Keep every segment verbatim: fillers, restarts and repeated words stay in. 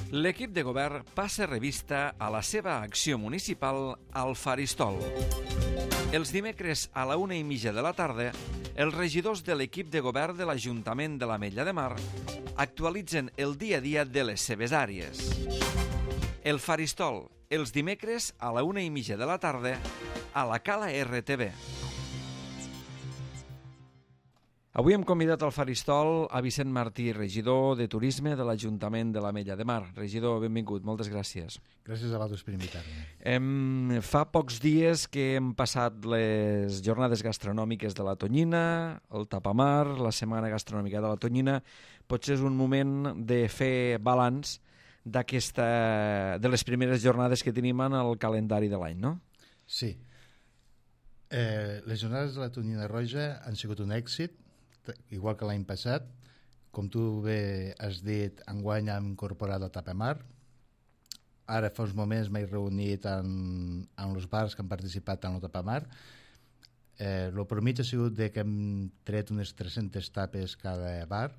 L'equip de govern passa revista a la seva acció municipal al Faristol. Els dimecres a la una i mitja de la tarda, els regidors de l'equip de govern de l'Ajuntament de l'Ametlla de Mar actualitzen el dia a dia de les seves àrees. El Faristol, els dimecres a la una i mitja de la tarda, a la Cala R T V. Avui hem convidat al Faristol a Vicent Martí, regidor de Turisme de l'Ajuntament de l'Ametlla de Mar. Regidor, benvingut, moltes gràcies. Gràcies a vosaltres per invitar-me. Hem, fa pocs dies que hem passat les jornades gastronòmiques de la Tonyina, el Tapamar, la Setmana Gastronòmica de la Tonyina. Potser és un moment de fer balanç d'aquesta, de les primeres jornades que tenim en el calendari de l'any, no? Sí. Eh, les jornades de la Tonyina Roja han sigut un èxit, igual que l'any passat. Com tu bé has dit, enguany hem incorporat el Tapamar. Ara fa uns moments m'he reunit amb, amb els bars que han participat en el Tapamar. Eh, el promig ha sigut de que hem tret unes tres-centes tapes cada bar.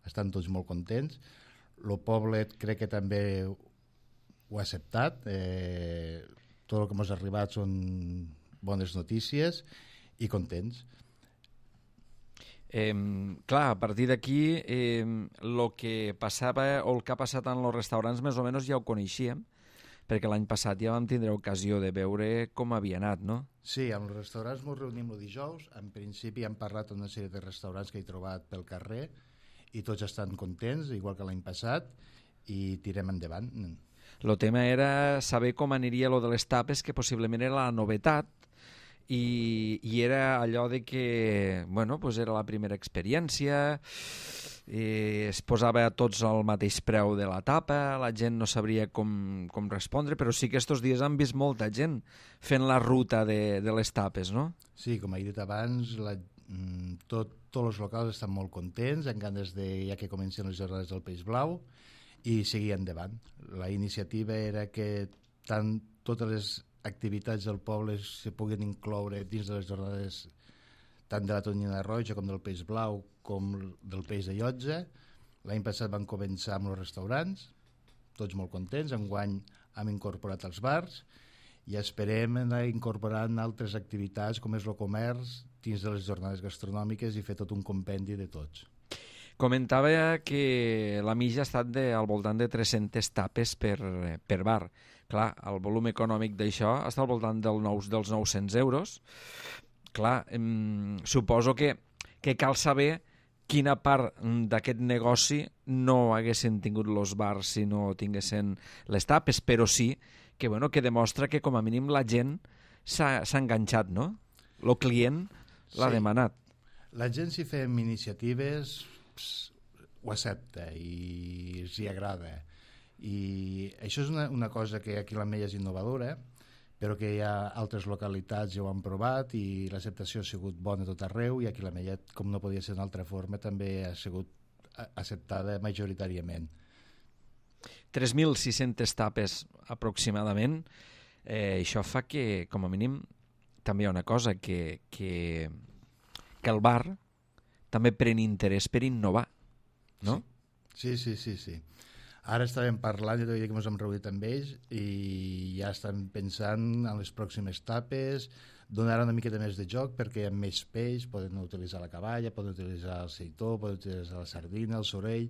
Estan tots molt contents. El poble crec que també ho ha acceptat. Eh, tot el que ens ha arribat són bones notícies i contents. Eh, clar, a partir d'aquí eh, el que passava o el que ha passat en els restaurants més o menys ja ho coneixíem, perquè l'any passat ja vam tindre ocasió de veure com havia anat, no? Sí, amb els restaurants ens reunim el dijous. En principi hem parlat amb una sèrie de restaurants que he trobat pel carrer i tots estan contents, igual que l'any passat, i tirem endavant. El tema era saber com aniria lo de les tapes, que possiblement era la novetat, i, i era allò de que, bueno, pues era la primera experiència, eh, es posava a tots al mateix preu de la tapa, la gent no sabria com, com respondre, però sí que estos dies han vist molta gent fent la ruta de, de les tapes, no? Sí, com he dit abans, la, tot, tots els locals estan molt contents, amb ganes de, ja que comencen les jornades del Peix Blau, i seguir endavant. La iniciativa era que tant totes les activitats del poble se puguin incloure dins de les jornades tant de la Tonyina Roja com del Peix Blau com del Peix de Llotja. L'any passat van començar amb els restaurants, tots molt contents. Enguany hem incorporat els bars i esperem anar incorporant altres activitats com és el comerç dins de les jornades gastronòmiques i fer tot un compendi de tots. Comentava que la mitja ha estat de, al voltant de tres-centes tapes per, per bar. Clar, el volum econòmic d'això està al voltant del nou, dels nou-cents euros. Clar, em, suposo que, que cal saber quina part d'aquest negoci no haguessin tingut els bars si no tinguessin les tapes, però sí que, bueno, que demostra que com a mínim la gent s'ha enganxat, no? El client l'ha sí. demanat. La gent, si fem iniciatives, ho accepta i els hi agrada. I això és una, una cosa que aquí a l'Ametlla és innovadora, però que hi ha altres localitats ja ho han provat i l'acceptació ha sigut bona tot arreu, i aquí a l'Ametlla, com no podia ser d'una altra forma, també ha sigut acceptada majoritàriament. tres mil sis-centes tapes aproximadament. Eh, això fa que, com a mínim, també hi ha una cosa, que, que, que el bar també pren interès per innovar, no? Sí, sí, sí, sí. Ara estàvem parlant, ja t'ho dic que ens hem reunit amb ells i ja estan pensant en les pròximes tapes, donar una miqueta més de joc perquè hi ha més peix, poden utilitzar la caballa, poden utilitzar el seitó, poden utilitzar la sardina, el sorell,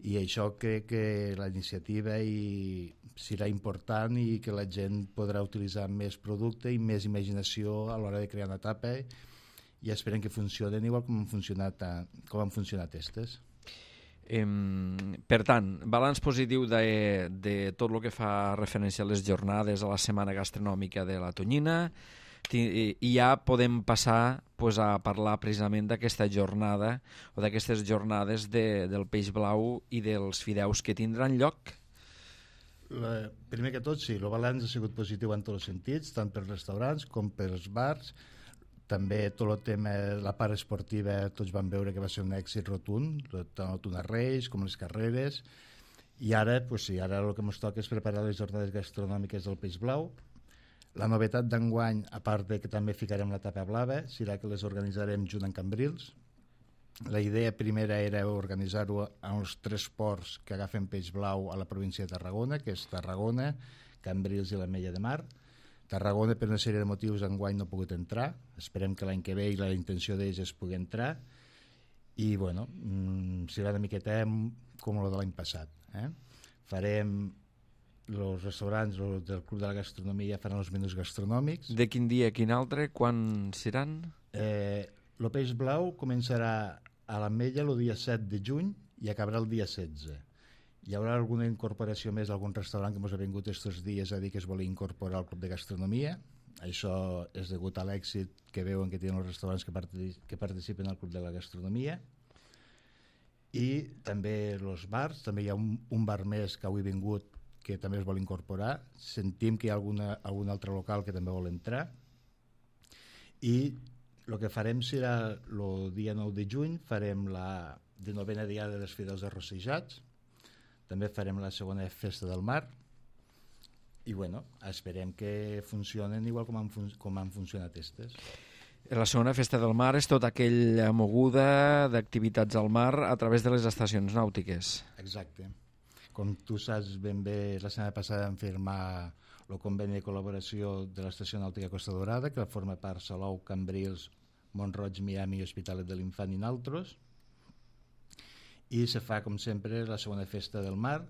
i això crec que la iniciativa i serà important i que la gent podrà utilitzar més producte i més imaginació a l'hora de crear una tapa, i esperem que funcionen igual com han funcionat, com han funcionat aquestes. Eh, per tant, balanç positiu de, de tot el que fa referència a les jornades, a la Setmana Gastronòmica de la Tonyina, i ja podem passar pues, a parlar precisament d'aquesta jornada o d'aquestes jornades de, del Peix Blau i dels fideus que tindran lloc. La, primer que tot, sí, el balanç ha sigut positiu en tots els sentits, tant pels restaurants com pels bars. També tot el tema, la part esportiva, tots van veure que va ser un èxit rotund, tant el Tuna Reis com les carreres, i ara, pues sí, ara el que ens toca és preparar les jornades gastronòmiques del Peix Blau. La novetat d'enguany, a part de que també ficarem la tapa blava, serà que les organitzarem junt amb Cambrils, La idea primera era organitzar-ho en els tres ports que agafen peix blau a la província de Tarragona, que és Tarragona, Cambrils i l'Ametlla de Mar. Tarragona, per una sèrie de motius, enguany no ha pogut entrar. Esperem que l'any que ve i la intenció d'ells és poder entrar. I, bueno, mmm, serà una miqueta com el de l'any passat. Eh? Farem els restaurants del Club de la Gastronomia faran els menús gastronòmics. De quin dia, quin altre, quan seran? Eh, el peix blau començarà a l'Ametlla el dia set de juny i acabarà el dia setze. Hi haurà alguna incorporació més d'algun restaurant que ens ha vingut aquests dies a dir que es volia incorporar al Club de Gastronomia. Això és degut a l'èxit que veuen que tenen els restaurants que, partic que participen al Club de la Gastronomia. I també els bars, també hi ha un, un bar més que avui ha vingut que també es vol incorporar. Sentim que hi ha alguna, algun altre local que també vol entrar. I el que farem serà el dia nou de juny, farem la denovena diada dels Fidels Arrossejats, també farem la segona festa del mar i bueno, esperem que funcionen igual com han, fun com han funcionat aquestes. La segona festa del mar és tota aquella moguda d'activitats al mar a través de les estacions nàutiques. Exacte. Com tu saps ben bé, la setmana passada vam firmar el conveni de col·laboració de l'Estació Nàutica Costa Dorada, que forma part Salou, Cambrils, Mont-roig, Miami, Hospitalet de l'Infant i naltros. I se fa, com sempre, la segona festa del mar.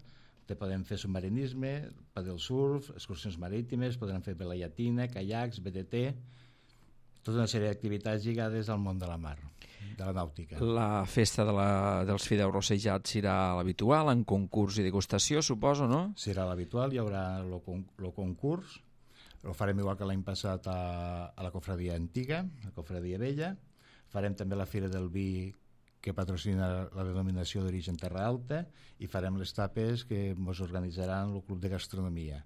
Te podem fer submarinisme, padel surf, excursions marítimes, podem fer vela llatina, caiacs, B T T, tota una sèrie d'activitats lligades al món de la mar, de la nàutica. La festa de la, dels Fideus Rossejats serà l'habitual, en concurs i degustació, suposo, no? Serà l'habitual, hi haurà el con concurs, ho farem igual que l'any passat a, a la cofradia antiga, la cofradia vella. Farem també la Fira del Vi, que patrocina la denominació d'origen Terra Alta, i farem les tapes que ens organitzaran el Club de Gastronomia.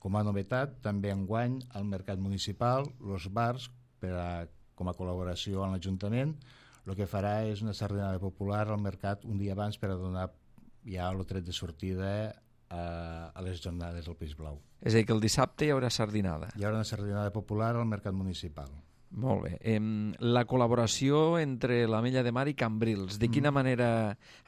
Com a novetat, també enguany al Mercat Municipal, els bars, per a, com a col·laboració amb l'Ajuntament, el que farà és una sardinada popular al mercat un dia abans per a donar ja el tret de sortida a, a les jornades del Peix Blau. És a dir, que el dissabte hi haurà sardinada. Hi haurà una sardinada popular al Mercat Municipal. Molt bé. Eh, la col·laboració entre l'Ametlla de Mar i Cambrils, de quina mm. manera,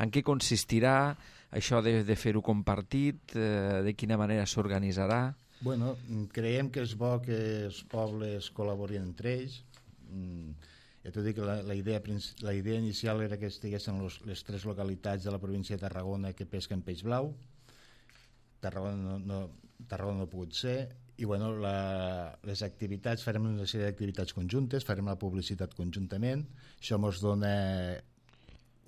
en què consistirà això de, de fer-ho compartit, eh, de quina manera s'organitzarà? Bueno, creiem que és bo que els pobles col·laborin entre ells. Mm, ja t'ho dic, la, la, idea, la idea inicial era que estiguessin los, les tres localitats de la província de Tarragona que pesquen peix blau. Tarragona no, no, Tarragona no ha pogut ser. I bueno, la, les activitats, farem una sèrie d'activitats conjuntes, farem la publicitat conjuntament. Això ens dona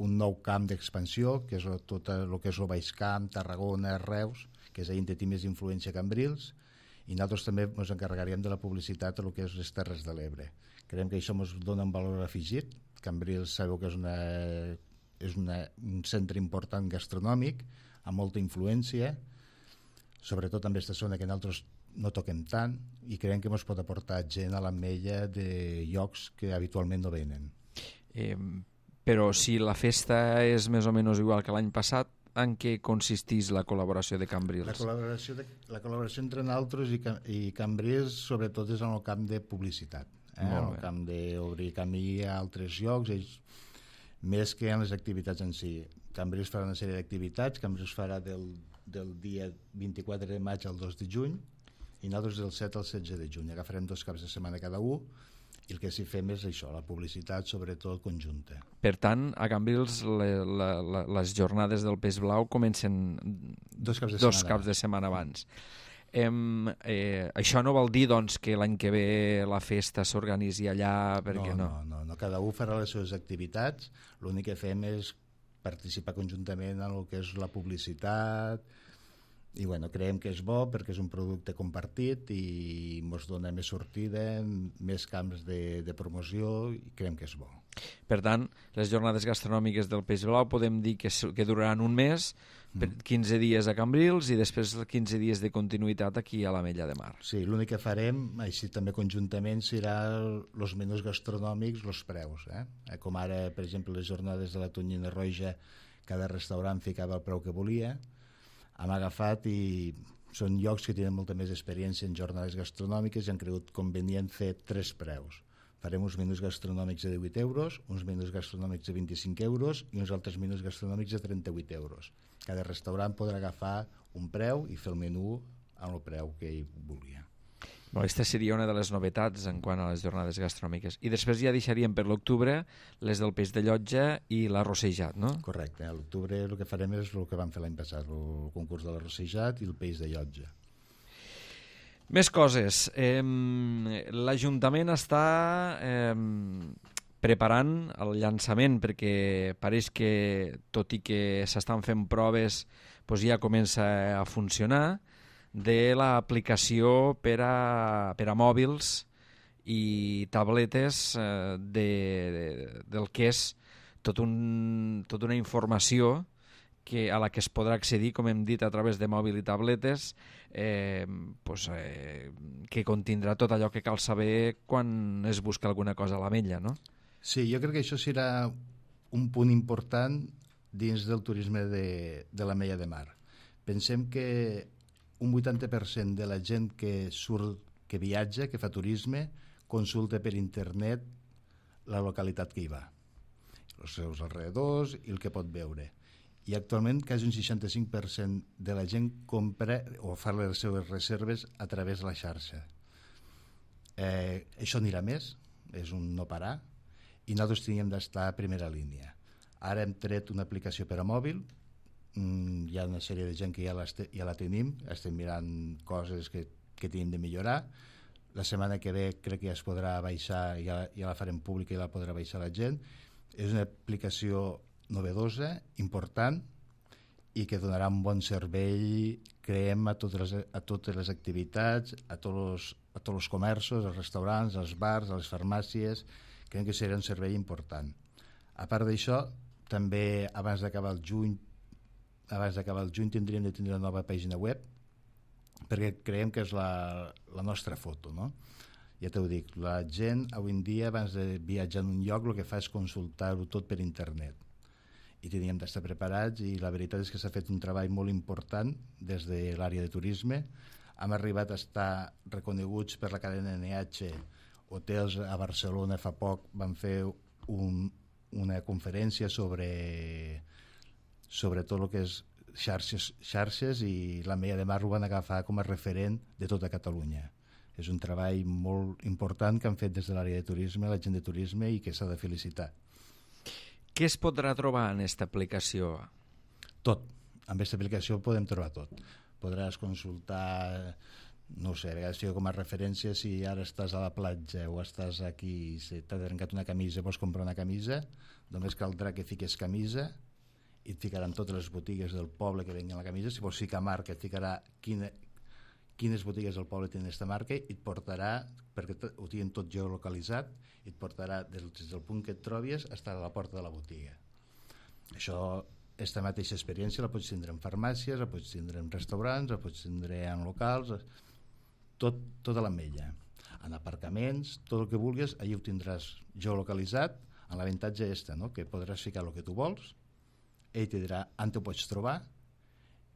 un nou camp d'expansió, que és tot el que és el Baix Camp, Tarragona, Reus, que és ahir té més influència que Cambrils, i nosaltres també ens encarregaríem de la publicitat a el que és les Terres de l'Ebre. Creiem que això ens dona un valor afegit. Cambrils sabeu que és, una, és una, un centre important gastronòmic, amb molta influència, sobretot amb aquesta zona que nosaltres no toquem tant, i creiem que ens pot aportar gent a l'Ametlla de llocs que habitualment no venen. Eh, però si la festa és més o menys igual que l'any passat, en què consisteix la col·laboració de Cambrils? La col·laboració, de, la col·laboració entre nosaltres i, i Cambrils sobretot és en el camp de publicitat, eh? en el camp d'obrir camí a altres llocs, ells, més que en les activitats en si. Cambrils farà una sèrie d'activitats, Cambrils farà del, del dia vint-i-quatre de maig al dos de juny, i nosaltres del set al setze de juny. Agafarem dos caps de setmana cada un, i el que s'hi fem és això, la publicitat sobretot conjunta. Per tant, a Cambrils le, la, la, les jornades del Peix Blau comencen dos caps de dos setmana, caps de setmana abans. Eh, eh, això no vol dir doncs, que l'any que ve la festa s'organitzi allà, perquè no, no. No, no, no, cada un farà les seves activitats, l'únic que fem és participar conjuntament en el que és la publicitat, i bueno, creiem que és bo perquè és un producte compartit i ens dona més sortida, més camps de, de promoció, i creiem que és bo. Per tant, les jornades gastronòmiques del Peix Blau podem dir que, que duraran un mes, mm. quinze dies a Cambrils i després quinze dies de continuïtat aquí a l'Ametlla de Mar. Sí, l'únic que farem, així també conjuntament, serà els menús gastronòmics, els preus. Eh? Com ara, per exemple, les jornades de la tonyina roja, cada restaurant ficava el preu que volia. Hem agafat i són llocs que tenen molta més experiència en jornades gastronòmiques i han cregut convenient fer tres preus. farem uns menús gastronòmics de divuit euros, uns menús gastronòmics de vint-i-cinc euros i uns altres menús gastronòmics de trenta-vuit euros. Cada restaurant podrà agafar un preu i fer el menú amb el preu que ell volia. Aquesta seria una de les novetats en quant a les jornades gastronòmiques. I després ja deixaríem per l'octubre les del peix de llotja i l'arrossejat, no? Correcte. A l'octubre el que farem és el que vam fer l'any passat, el concurs de l'arrossejat i el peix de llotja. Més coses. Eh, L'Ajuntament està eh, preparant el llançament perquè pareix que, tot i que s'estan fent proves, doncs ja comença a funcionar, de l'aplicació per a, per a mòbils i tabletes eh, de, de, del que és tot un, tota una informació que, a la que es podrà accedir, com hem dit, a través de mòbil i tabletes, eh, pues, eh, que contindrà tot allò que cal saber quan es busca alguna cosa a l'ametlla, no? Sí, jo crec que això serà un punt important dins del turisme de, de l'Ametlla de Mar. Pensem que un vuitanta per cent de la gent que surt, que viatja, que fa turisme, consulta per internet la localitat que hi va, els seus alrededors i el que pot veure. I actualment quasi un seixanta-cinc per cent de la gent compra o fa les seves reserves a través de la xarxa. Eh, això anirà més, és un no parar, i nosaltres teníem d'estar a primera línia. Ara hem tret una aplicació per a mòbil, mm, hi ha una sèrie de gent que ja, ja la tenim, estem mirant coses que, que tenim de millorar. La setmana que ve crec que ja es podrà baixar, ja, ja la farem pública i la podrà baixar la gent. És una aplicació novedosa, important, i que donarà un bon servei, creiem, a totes les, a totes les activitats, a tots els, a tots els comerços, als restaurants, als bars, a les farmàcies. Creiem que serà un servei important. A part d'això, també abans d'acabar el juny, abans d'acabar el juny tindríem de tenir una nova pàgina web, perquè creiem que és la, la nostra foto, no? Ja t'ho dic, la gent avui en dia, abans de viatjar en un lloc, el que fa és consultar-ho tot per internet. I teníem d'estar preparats, i la veritat és que s'ha fet un treball molt important des de l'àrea de turisme. Hem arribat a estar reconeguts per la cadena N H. Hotels a Barcelona fa poc van fer un, una conferència sobre, sobre tot el que és xarxes, xarxes i l'Ametlla de Mar ho van agafar com a referent de tota Catalunya. És un treball molt important que han fet des de l'àrea de turisme, la gent de turisme, i que s'ha de felicitar. Què es podrà trobar en aquesta aplicació? Tot. Amb aquesta aplicació podem trobar tot. Podràs consultar, no sé, a vegades fico com a referència si ara estàs a la platja o estàs aquí, si t'ha trencat una camisa, vols comprar una camisa, només caldrà que fiques camisa i et ficaran totes les botigues del poble que venguen la camisa. Si vols ficar marca, et ficarà quina, quines botigues del poble tenen aquesta marca i et portarà, perquè ho tenen tot geolocalitzat, i et portarà des del punt que et trobis fins a la porta de la botiga. Això, aquesta mateixa experiència la pots tindre en farmàcies, la pots tindre en restaurants, la pots tindre en locals, tot, tota l'Ametlla. En aparcaments, tot el que vulguis, allà ho tindràs geolocalitzat, amb l'avantatge este, no? Que podràs ficar el que tu vols, ell te dirà on te pots trobar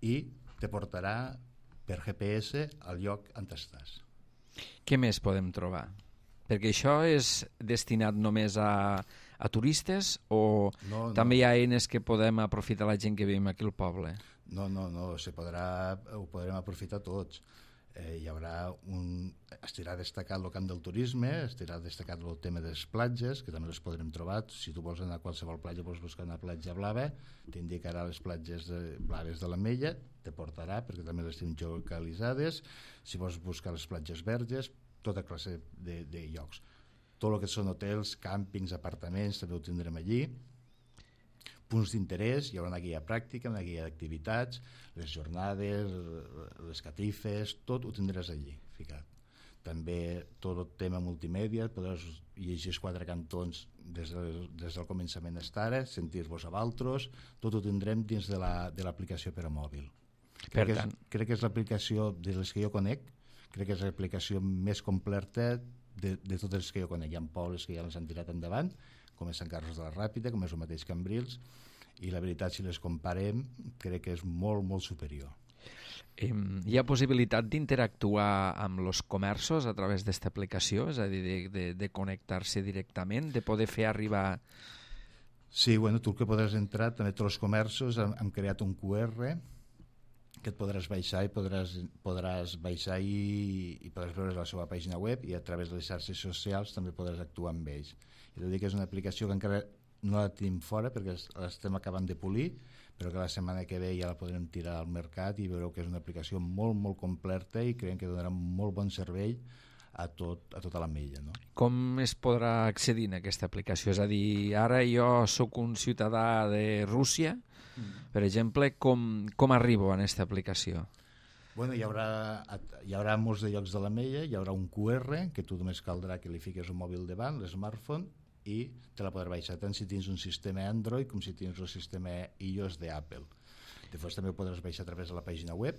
i te portarà per G P S al lloc on estàs. Què més podem trobar? Perquè això és destinat només a, a turistes o no, no. també hi ha eines que podem aprofitar la gent que vivim aquí al poble? No, no, no, se podrà, ho podrem aprofitar tots. Eh, hi haurà un... Estirà destacat el camp del turisme, estirà destacat el tema de les platges, que també les podrem trobar. Si tu vols anar a qualsevol platja, vols buscar una platja blava, t'indicarà les platges de, blaves de l'Ametlla, te portarà, perquè també les tenim geolocalitzades. Si vols buscar les platges verges, tota classe de, de llocs. Tot el que són hotels, càmpings, apartaments, també ho tindrem allí. Punts d'interès, hi haurà una guia pràctica, una guia d'activitats, les jornades, les catifes, tot ho tindràs allí ficat. També tot el tema multimèdia, podràs llegir els quatre cantons des, de, des del començament fins ara, sentir-vos a valtros, tot ho tindrem dins de l'aplicació la, per a mòbil. Per crec, tant... que és, crec que és l'aplicació de les que jo conec, crec que és l'aplicació més completa de, de totes les que jo conec. Hi ha pobles que ja les han tirat endavant, com és Sant Carles de la Ràpita, com és el mateix Cambrils, i la veritat, si les comparem, crec que és molt, molt superior. Hi ha possibilitat d'interactuar amb els comerços a través d'aquesta aplicació? És a dir, de, de, de connectar-se directament, de poder fer arribar... Sí, bueno, tu el que podràs entrar, també tots els comerços han, han creat un Q R que et podràs baixar i podràs, podràs baixar i, i podràs veure la seva pàgina web, i a través de les xarxes socials també podràs actuar amb ells. I dir que és una aplicació que encara no la tenim fora perquè l'estem acabant de polir, però que la setmana que ve ja la podrem tirar al mercat i veureu que és una aplicació molt, molt completa i creiem que donarà molt bon servei a, tot, a tota l'Ametlla, no? Com es podrà accedir a aquesta aplicació? És a dir, ara jo sóc un ciutadà de Rússia, mm. per exemple, com, com arribo a aquesta aplicació? Bueno, hi haurà, hi haurà molts de llocs de l'Ametlla, hi haurà un Q R que tu només caldrà que li fiques un mòbil davant, l'smartphone, i te la podràs baixar tant si tens un sistema Android com si tens el sistema iOS d'Apple. Després també ho podràs baixar a través de la pàgina web.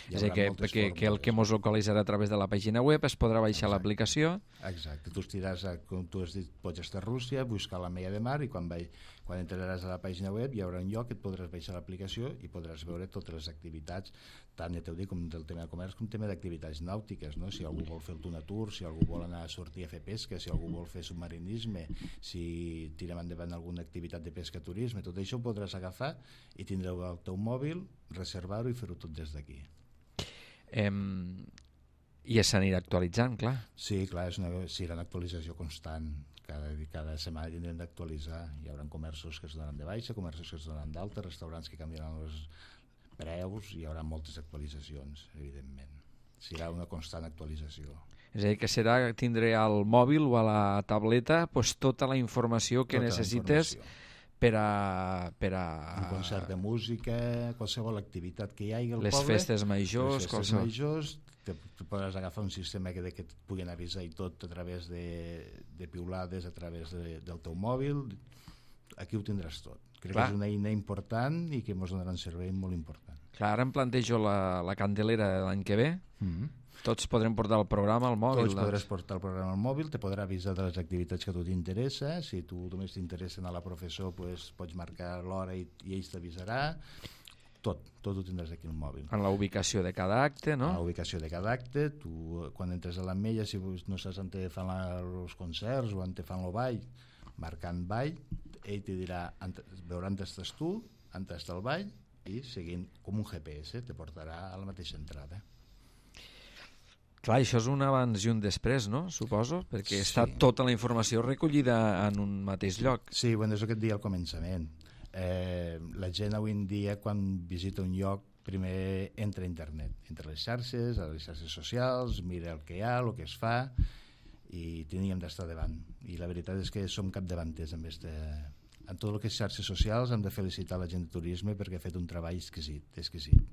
És a dir, que, que, que el que ens localitzarà a través de la pàgina web es podrà baixar l'aplicació. Exacte, tu estiràs, a, com tu has dit, pots estar a Rússia, buscar l'Ametlla de Mar, i quan, vai, quan entraràs a la pàgina web hi haurà un lloc que et podràs baixar l'aplicació i podràs veure totes les activitats, tant ja t'ho dic, com del tema de comerç com tema d'activitats nàutiques, no? Si algú vol fer el Tuna Tour, si algú vol anar a sortir a fer pesca, si algú vol fer submarinisme, si tirem endavant alguna activitat de pesca, turisme, tot això ho podràs agafar i tindreu el teu mòbil, reservar-ho i fer-ho tot des d'aquí. Um, I s'anirà actualitzant, clar. Sí, clar, és una, serà una actualització constant. Cada, cada setmana tindrem d'actualitzar. Hi haurà comerços que es donen de baixa, comerços que es donen d'alta, restaurants que canviaran els preus, hi haurà moltes actualitzacions, evidentment. Serà una constant actualització. És a dir, que serà tindre al mòbil o a la tableta pues, tota la informació que tota necessites informació. Per a, per a... Un concert de música, qualsevol activitat que hi hagi al les poble. Festes majors, les festes qualsevol... majors, te, te podràs agafar un sistema que, que et puguin avisar i tot a través de, de piulades, a través de, del teu mòbil. Aquí ho tindràs tot. Crec Clar. que és una eina important i que ens donarà un servei molt important. Clar, ara em plantejo la, la Candelera de l'any que ve. Mm-hmm. Tots podrem portar el programa al mòbil. Tots doncs. podràs portar el programa al mòbil, te podrà avisar de les activitats que a tu t'interessa. Si tu només t'interessa anar a la professor, pues, pots marcar l'hora i, i ells t'avisarà. Tot, tot ho tindràs aquí al mòbil. En la ubicació de cada acte, no? En la ubicació de cada acte. Tu, quan entres a l'Ametlla, si no saps on te fan la, els concerts o on te fan el ball, marcant ball, ell te dirà, veurà on estàs tu, on està el ball, i seguint com un G P S te portarà a la mateixa entrada. Clar, això és un abans i un després, no? Suposo, perquè sí. està tota la informació recollida en un mateix lloc. Sí, bueno, és el que et deia al començament. Eh, la gent avui en dia, quan visita un lloc, primer entra a internet, entra a les xarxes, a les xarxes socials, mira el que hi ha, el que es fa, i teníem d'estar davant. I la veritat és que som capdavanters amb este... En tot el que és xarxes socials hem de felicitar la gent de turisme perquè ha fet un treball exquisit, exquisit.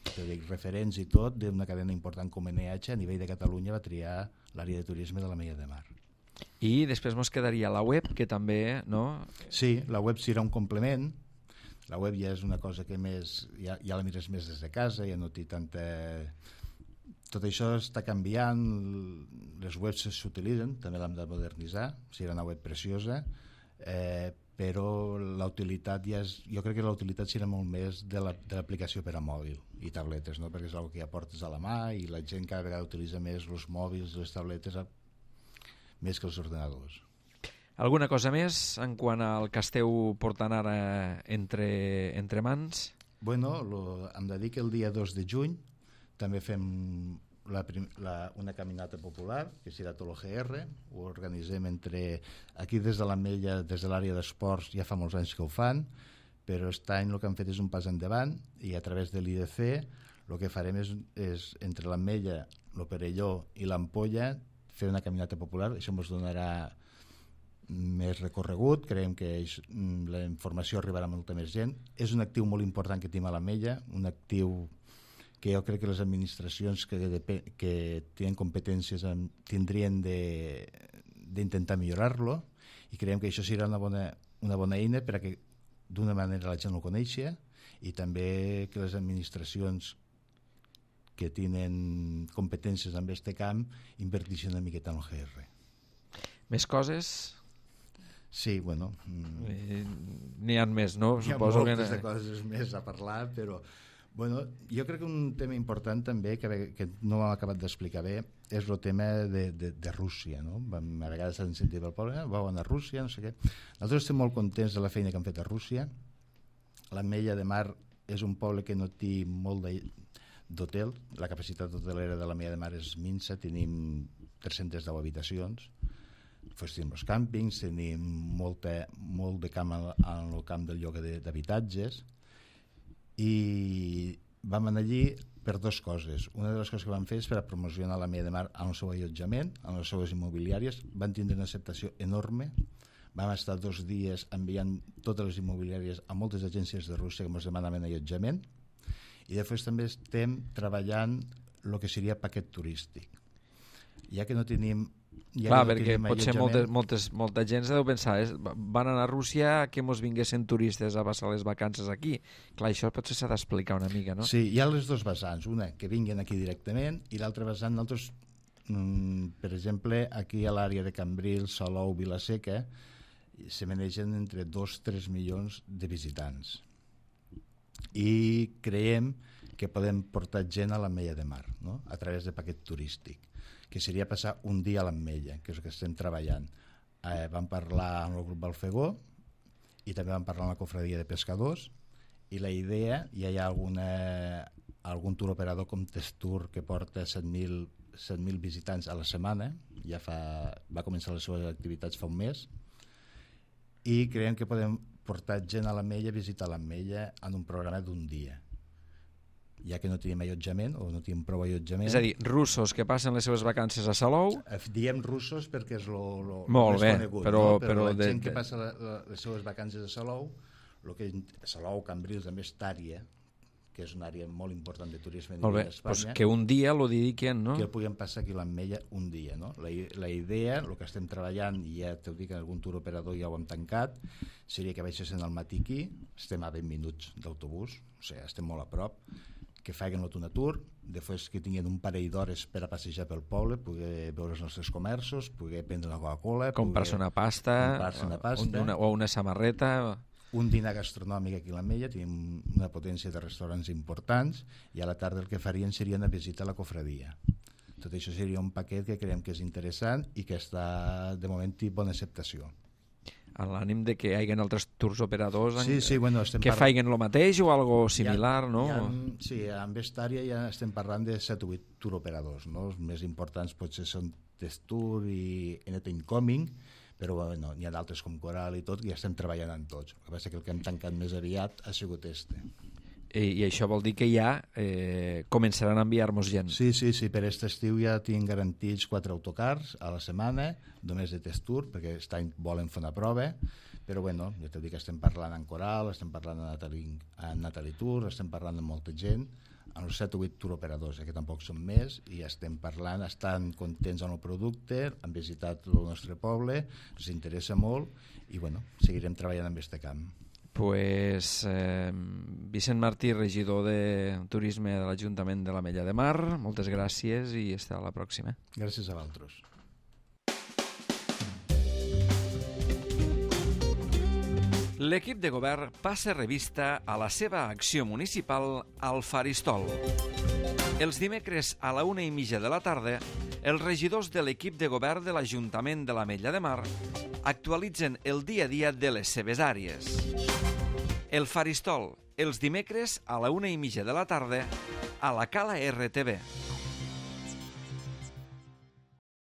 Te dic, referents i tot d'una cadena important com N H a nivell de Catalunya va triar l'àrea de turisme de l'Ametlla de Mar. I després ens quedaria la web, que també, no? Sí, la web serà un complement. La web ja és una cosa que més ja, ja la mires més des de casa, ja no té tanta... Tot això està canviant, les webs s'utilitzen, també l'hem de modernitzar, serà una web preciosa, eh, però la utilitat ja és, jo crec que la utilitat serà molt més de l'aplicació la, per a mòbil i tabletes, no? Perquè és una que ja portes a la mà i la gent cada vegada utilitza més els mòbils i les tabletes a, més que els ordenadors. Alguna cosa més en quant al que esteu portant ara entre, entre mans? Bueno, lo, hem de dir que el dia dos de juny també fem La, la, una caminata popular que serà tot el G R, ho organitzem entre aquí des de l'Ametlla, des de l'àrea d'esports, ja fa molts anys que ho fan, però aquest any el que han fet és un pas endavant i a través de l'I D C el que farem és, és entre l'Ametlla, el Perelló i l'Ampolla fer una caminata popular. Això ens donarà més recorregut, creiem que és, la informació arribarà a molta més gent. És un actiu molt important que tenim a l'Ametlla, un actiu que jo crec que les administracions que, de, que tenen competències en, tindrien d'intentar millorar-lo, i creiem que això serà una bona, una bona eina perquè d'una manera la gent ho coneixi i també que les administracions que tenen competències en aquest camp inverteixin una miqueta en el G R. Més coses? Sí, bueno... Eh, N'hi ha més, no? Hi ha Suposo moltes que... de coses més a parlar, però... Bueno, jo crec que un tema important també, que, que no hem acabat d'explicar bé, és el tema de, de, de Rússia, no? A vegades s'han sentit el poble, vau anar a Rússia, no sé què. Nosaltres estem molt contents de la feina que han fet a Rússia. L'Ametlla de Mar és un poble que no té molt d'hotel, la capacitat hotelera de l'Ametlla de Mar és minsa, tenim tres-centes deu habitacions, pues tenim els càmpings, tenim molta, molt de camp en el camp del lloguer d'habitatges, i vam anar allí per dues coses. Una de les coses que vam fer és per a promocionar l'Ametlla de Mar en el seu allotjament, en les seues immobiliàries. Van tindre una acceptació enorme. Vam estar dos dies enviant totes les immobiliàries a moltes agències de Rússia que ens demanaven allotjament, i després també estem treballant el que seria paquet turístic. Ja que no tenim Ja Clar, no perquè potser moltes, allotjament. moltes, molta gent deu pensar, eh, van anar a Rússia que mos vinguessin turistes a passar les vacances aquí. Clar, això potser s'ha d'explicar una mica, no? Sí, hi ha les dues vessants, una que vinguin aquí directament i l'altra vessant nosaltres, mm, per exemple, aquí a l'àrea de Cambrils, Salou, Vilaseca, se manegen entre dos a tres milions de visitants. I creiem que podem portar gent a l'Ametlla de Mar, no? A través de paquet turístic, que seria passar un dia a l'Ametlla, que és el que estem treballant. Eh, vam parlar amb el grup Balfegó i també vam parlar amb la cofradia de pescadors, i la idea, ja hi ha alguna, algun tour operador com Testur que porta set mil visitants a la setmana, ja fa, va començar les seves activitats fa un mes, i creiem que podem portar gent a l'Ametlla a visitar l'Ametlla en un programa d'un dia, ja que no tenim allotjament o no tenim prou allotjament. És a dir, russos que passen les seves vacances a Salou... Diem russos perquè és el Molt més bé, conegut, però, no? Però, però la de, gent que de... passa la, la, les seves vacances a Salou, lo que Salou, Cambrils, també és Tària, que és una àrea molt important de turisme Molt bé, a Espanya, pues que un dia lo dediquen, no? que el puguem passar aquí a l'Ametlla un dia, no? La, la idea, el que estem treballant, i ja t'ho dic, algun tour operador ja ho hem tancat, seria que baixessin al matí aquí, estem a vint minuts d'autobús, o sigui, estem molt a prop, que facin un tour, després que tinguin un parell d'hores per a passejar pel poble, poder veure els nostres comerços, poder prendre una Coca-Cola, comprar-se una pasta, comprar-se una pasta, una, o una samarreta... un dinar gastronòmic aquí a l'Ametlla, tenim una potència de restaurants importants, i a la tarda el que farien seria anar a visitar la cofradia. Tot això seria un paquet que creiem que és interessant i que està, de moment, té bona acceptació. En l'ànim de que hi hagi altres tours operadors sí, sí, bueno, que par... facin el mateix o algo similar, ha, no? Ha, sí, en Vestària ja estem parlant de set o vuit tour operadors, no? Els més importants potser són Testur i Anything Coming, però bueno, n'hi ha d'altres com Coral i tot, que ja estem treballant en tots. El que passa que el que hem tancat més aviat ha sigut este. I, i això vol dir que ja eh, començaran a enviar-nos gent. Sí, sí, sí, per aquest estiu ja tinc garantits quatre autocars a la setmana, només de Testur, perquè aquest any volen fer una prova, però bueno, ja t'ho dic que estem parlant en Coral, estem parlant en Natalie, en Natalie Tour, estem parlant amb molta gent, en els set o vuit tour operadors, eh, que tampoc són més, i estem parlant, estan contents amb el producte, han visitat el nostre poble, ens interessa molt, i bueno, seguirem treballant en aquest camp. Pues, eh, Vicent Martí, regidor de Turisme de l'Ajuntament de l'Ametlla de Mar, moltes gràcies i fins a la pròxima. Gràcies a vosaltres. L'equip de govern passa revista a la seva acció municipal al Faristol. Els dimecres a la una i mitja de la tarda, els regidors de l'equip de govern de l'Ajuntament de l'Ametlla de Mar actualitzen el dia a dia de les seves àrees. El Faristol, els dimecres a la una i mitja de la tarda, a la Cala R T V.